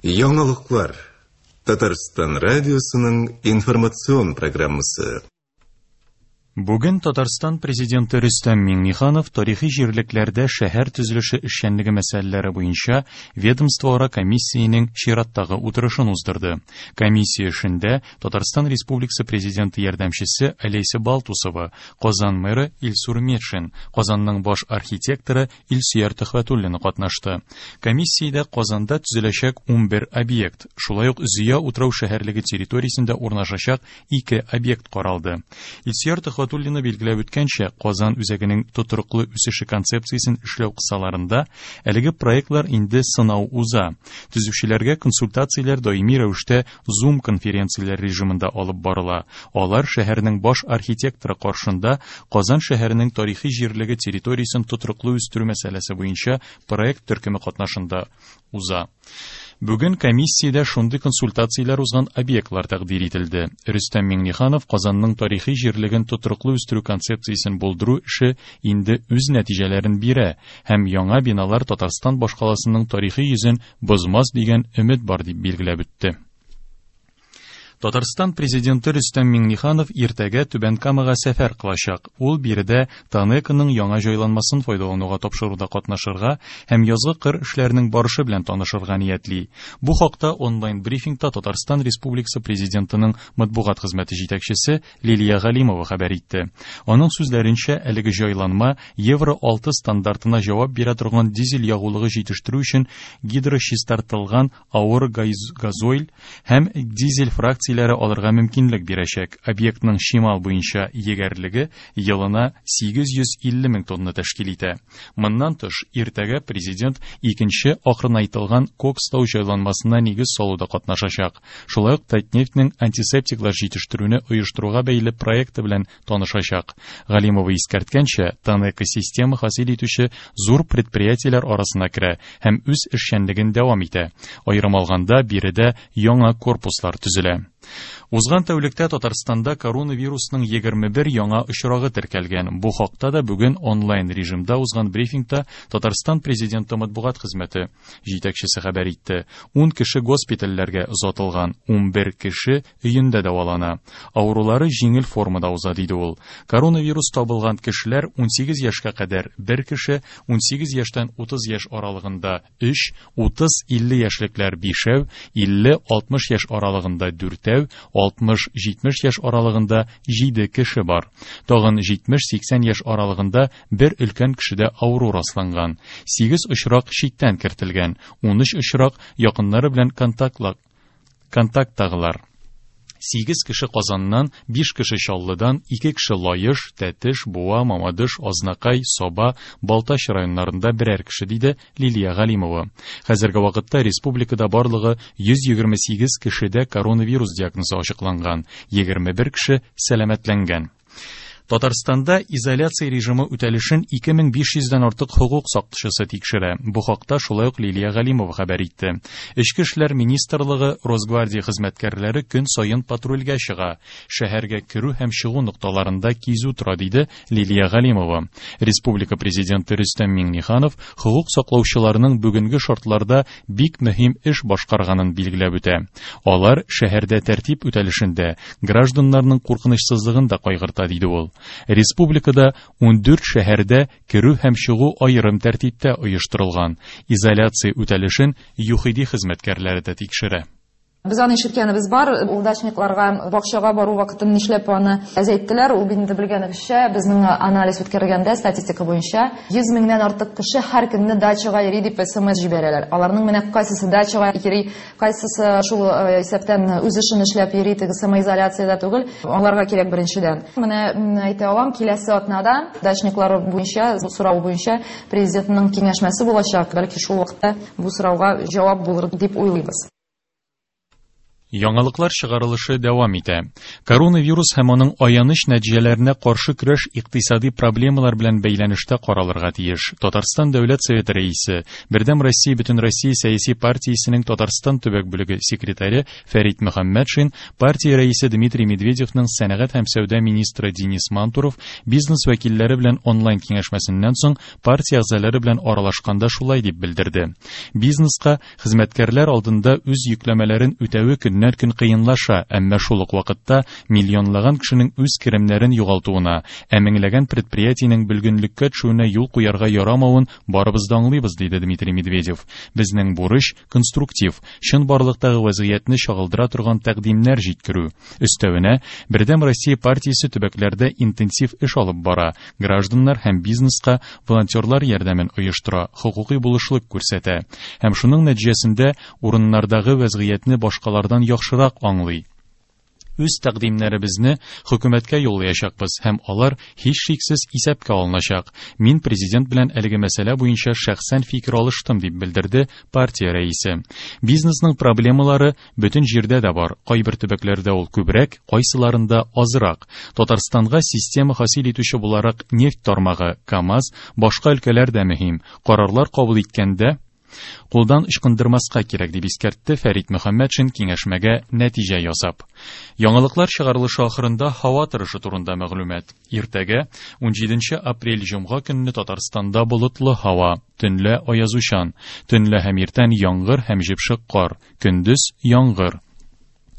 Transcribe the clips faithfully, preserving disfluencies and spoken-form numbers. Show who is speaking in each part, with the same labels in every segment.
Speaker 1: Яңалыклар. Татарстан радиосының информацион программасы.
Speaker 2: Бүген Татарстан президенты Рөстәм Миңнеханов тарихи җирлекләрдә шәһәр төзелеше эшчәнлеге мәсьәләләре буенча ведомствоара комиссиянең чираттагы утырышын уздырды. Комиссия эшендә Татарстан Республикасы президенты ярдәмчесе Олеся Балтусова, Казан мэры Илсур Метшин, Казанның баш архитекторы Илсөяр Төхвәтуллина катнашты. Комиссиядә Казанда төзеләчәк унбер объект, шулай ук Зөя утрау шәһәрлеге территориясендә урнашачак ике объект каралды. Илсөяр Төхвәтуллина билгеләп үткәнчә, Казан үзәгенең тотрыклы үсеше концепциясен эшләү кысаларында әлеге проектлар инде сынау уза. Төзүчеләргә консультацияләр даими рәвештә Zoom конференцияләр режимында алып барыла. Алар шәһәрнең баш архитекторы каршында Казан шәһәренең тарихи җирлеге территориясен тотрыклы үстерү мәсьәләсе буенча проект төркеме катнашында уза. Бүген комиссиядә шундый консультацияләр узган объектлар тәкъдир ителде. Рөстәм Миңнеханов Казанның тарихи җирлеген тотрыклы үстерү концепциясен булдыру эше инде үз нәтиҗәләрен бирә һәм яңа биналар Татарстан башкаласының тарихи йөзен бозмас дигән өмет бар дип билгеләп үтте. Татарстан президенты Рөстәм Миңнеханов иртәгә Түбән Камага сәфәр кылачак. Ул биредә ТАНЕКОның яңа җайланмасын файдалануга тапшыруда катнашырга һәм язгы кыр эшләренең барышы белән танышырга ниятли. Бу хакта онлайн брифингта Татарстан Республикасы президентының матбугат хезмәте җитәкчесе Лилия Галимова хәбәр итте. Аның сүзләренчә, әлеге җайланма Евро алты стандартына җавап бирә торган дизель ягулыгы җитештерү өчен гидрочистартылган авыр газойль һәм дизель фракцияләре алырга мөмкинлек бирәчәк. Объектның чимал буенча егәрлеге елына сигез йөз илле мең тонна тәшкил итә. Моннан тыш, иртәгә президент икенче акрынайтылган кокстау җайланмасына нигез салуда катнашачак. Шулай ук Татнефтьнең антисептиклар җитештерүне оештыруга бәйле проекты белән танышачак. Галимова искәрткәнчә, ТАНЕКО система хасил итүче зур предприятиеләр арасына керә һәм үз эшчәнлеген дәвам итә. Аерым алганда, биредә яңа корпуслар төзелә. Узган тәүлектә Татарстанда коронавирусның егерме бер яңа очрагы теркәлгән. Бу хакта да бүген онлайн режимда узган брифингта Татарстан президенты матбугат хезмәте җитәкчесе хәбәр итте. Ун кеше госпитальләргә озатылган, унбер кеше өендә дәвалана. Авырулары җиңел формада уза, диде ул. Коронавирус табылган кешеләр унсигез яшькә кадәр бер кеше, унсигез яшьтән утыз яшь аралыгында өч, утыз илле яшьлекләр бишәү, илле алтмыш яшь аралыгында дүртәү, алтмыш җитмеш яшь аралыгында җиде кеше бар. Тагын җитмеш сиксән яшь аралыгында бер өлкән кешедә авыру расланган. Сигез очрак читтән кертелгән, унөч очрак якыннары белән контактлы, контакттагылар. Сигез кеше Казаннан, биш кеше Чаллыдан, ике кеше Лаеш, Тәтеш, Буа, Мамадыш, Азнакай, Саба, Балтач районнарында берәр кеше, диде Лилия Галимова. Хәзерге вакытта республикада барлыгы йөз егерме сигез кешедә коронавирус диагнозы ачыкланган, егерме бер кеше сәламәтләнгән. Татарстанда изоляция режимы үтәлешен ике мең биш йөздән артык хокук сакчысы тикшерә. Бу хакта шулай ук Лилия Галимова хәбәр итте. Эчке эшләр министрлыгы, Росгвардия хезмәткәрләре көн саен патрульгә чыга. Шәһәргә керү һәм чыгу нокталарында кизү тора, диде Лилия Галимова. Республика президенты Рөстәм Миңнеханов хокук саклаучыларның бүгенге шартларда бик мөһим эш башкарганын билгеләп үтә. Алар шәһәрдә тәртип үтәлешендә гражданнарның куркынычсызлыгын да кайгырта, диде ул. Республикада ундүрт шәһәрдә керү һәм чыгу аерым тәртиптә оештырылган. Изоляция үтәлешен ЮХИДИ хезмәткәрләре дә тикшерә.
Speaker 3: Без аны ишеткәнебез бар, ул дачникларга бакчага бару вакытын нишләп аны әзәйттеләр, ул бит инде белгәнебезчә, безнең анализ үткәргәндә статистика буенча йөз меңнән артык кеше һәр көнне дачага йөри дип эс эм эс җибәрәләр. Аларның менә кайсысы дачага йөри, кайсысы шул, э, исәптән үз эшен эшләп йөри, теге самоизоляциядә түгел. Аларга кирәк беренчедән. Менә, м, әйтә алам, киләсе атнада дачниклар буенча, бу сорау буенча президентның киңәшмәсе булачак. Бәлки шул вакытта бу сорауга җавап булыр дип уйлыйбыз.
Speaker 2: Яңалыклар чыгарылышы дәвам итә. Коронавирус һәм аның аяныч нәтиҗәләренә каршы көрәш икътисади проблемалар белән бәйләнештә каралырга тиеш. Татарстан Дәүләт Советы рәисе, Бердәм Россия Бөтенроссия сәяси партиясенең Татарстан төбәк бүлеге секретаре Фәрит Мөхәммәтшин, партия рәисе Дмитрий Медведевның сәнәгать һәм сәүдә министры Денис Мантуров бизнес вәкилләре белән онлайн киңәшмәсеннән соң партия әгъзалары белән аралашканда шулай дип белдерде. Бизнеска хезмәткәрләр алдында үз йөкләмәләрен үтәве көннән көн кыенлаша, әмма шул ук вакытта миллионлаган кешенең үз керемнәрен югалтуына, ә меңләгән предприятиенең бөлгенлеккә төшүенә юл куярга ярамавын барыбыз да аңлыйбыз, диде Дмитрий Медведев. Безнең бурыч конструктив, чынбарлыктагы вазгыятьне чагылдыра торган тәкъдимнәр җиткерү. Өстәвенә, Бердәм Россия партиясе төбәкләрдә интенсив эш алып бара, гражданнар һәм бизнеска волонтерлар ярдәмен оештыра, хокукый булышлык күрсәтә. Һәм шуның нәтиҗәсендә урыннардагы вазгыятьне башкалардан яхшырак аңлый. Үз тәкъдимнәребезне хөкүмәткә юллаячакбыз һәм алар һичшиксез исәпкә алыначак. Мин президент белән әлеге мәсьәлә буенча шәхсән фикер алыштым, дип белдерде партия рәисе. Бизнесның проблемалары бөтен җирдә дә бар. Кайбер төбәкләрдә ул күбрәк, кайсыларында азрак. Татарстанга система хасил итүче буларак нефть тармагы, КАМАЗ, башка өлкәләр дә мөһим. Карарлар кабул иткәндә кулдан ычкындырмаска кирәк, дип искәртте Фәрит Мөхәммәтшин киңәшмәгә нәтиҗә ясап. Яңалыклар чыгарылышы ахырында һава торышы турында мәгълүмат. Иртәгә унҗиденче апрель җомга көнне Татарстанда болытлы һава, төнлә аязучан, төнлә һәм иртән яңгыр һәм җепшек кар, көндез яңгыр.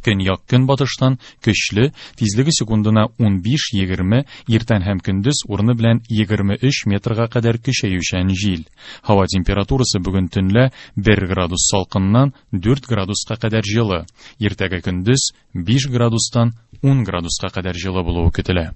Speaker 2: Көньяк көнбатыштан көчле, тизлеге секундына унбиш егерме, иртән һәм көндез урыны белән егерме өч метрга кадәр көчәючән җил. Һава температурасы бүген төнлә бер градус салкыннан дүрт градуска кадәр җылы. Иртәгә көндез биш градустан ун градуска кадәр җылы булуы көтелә.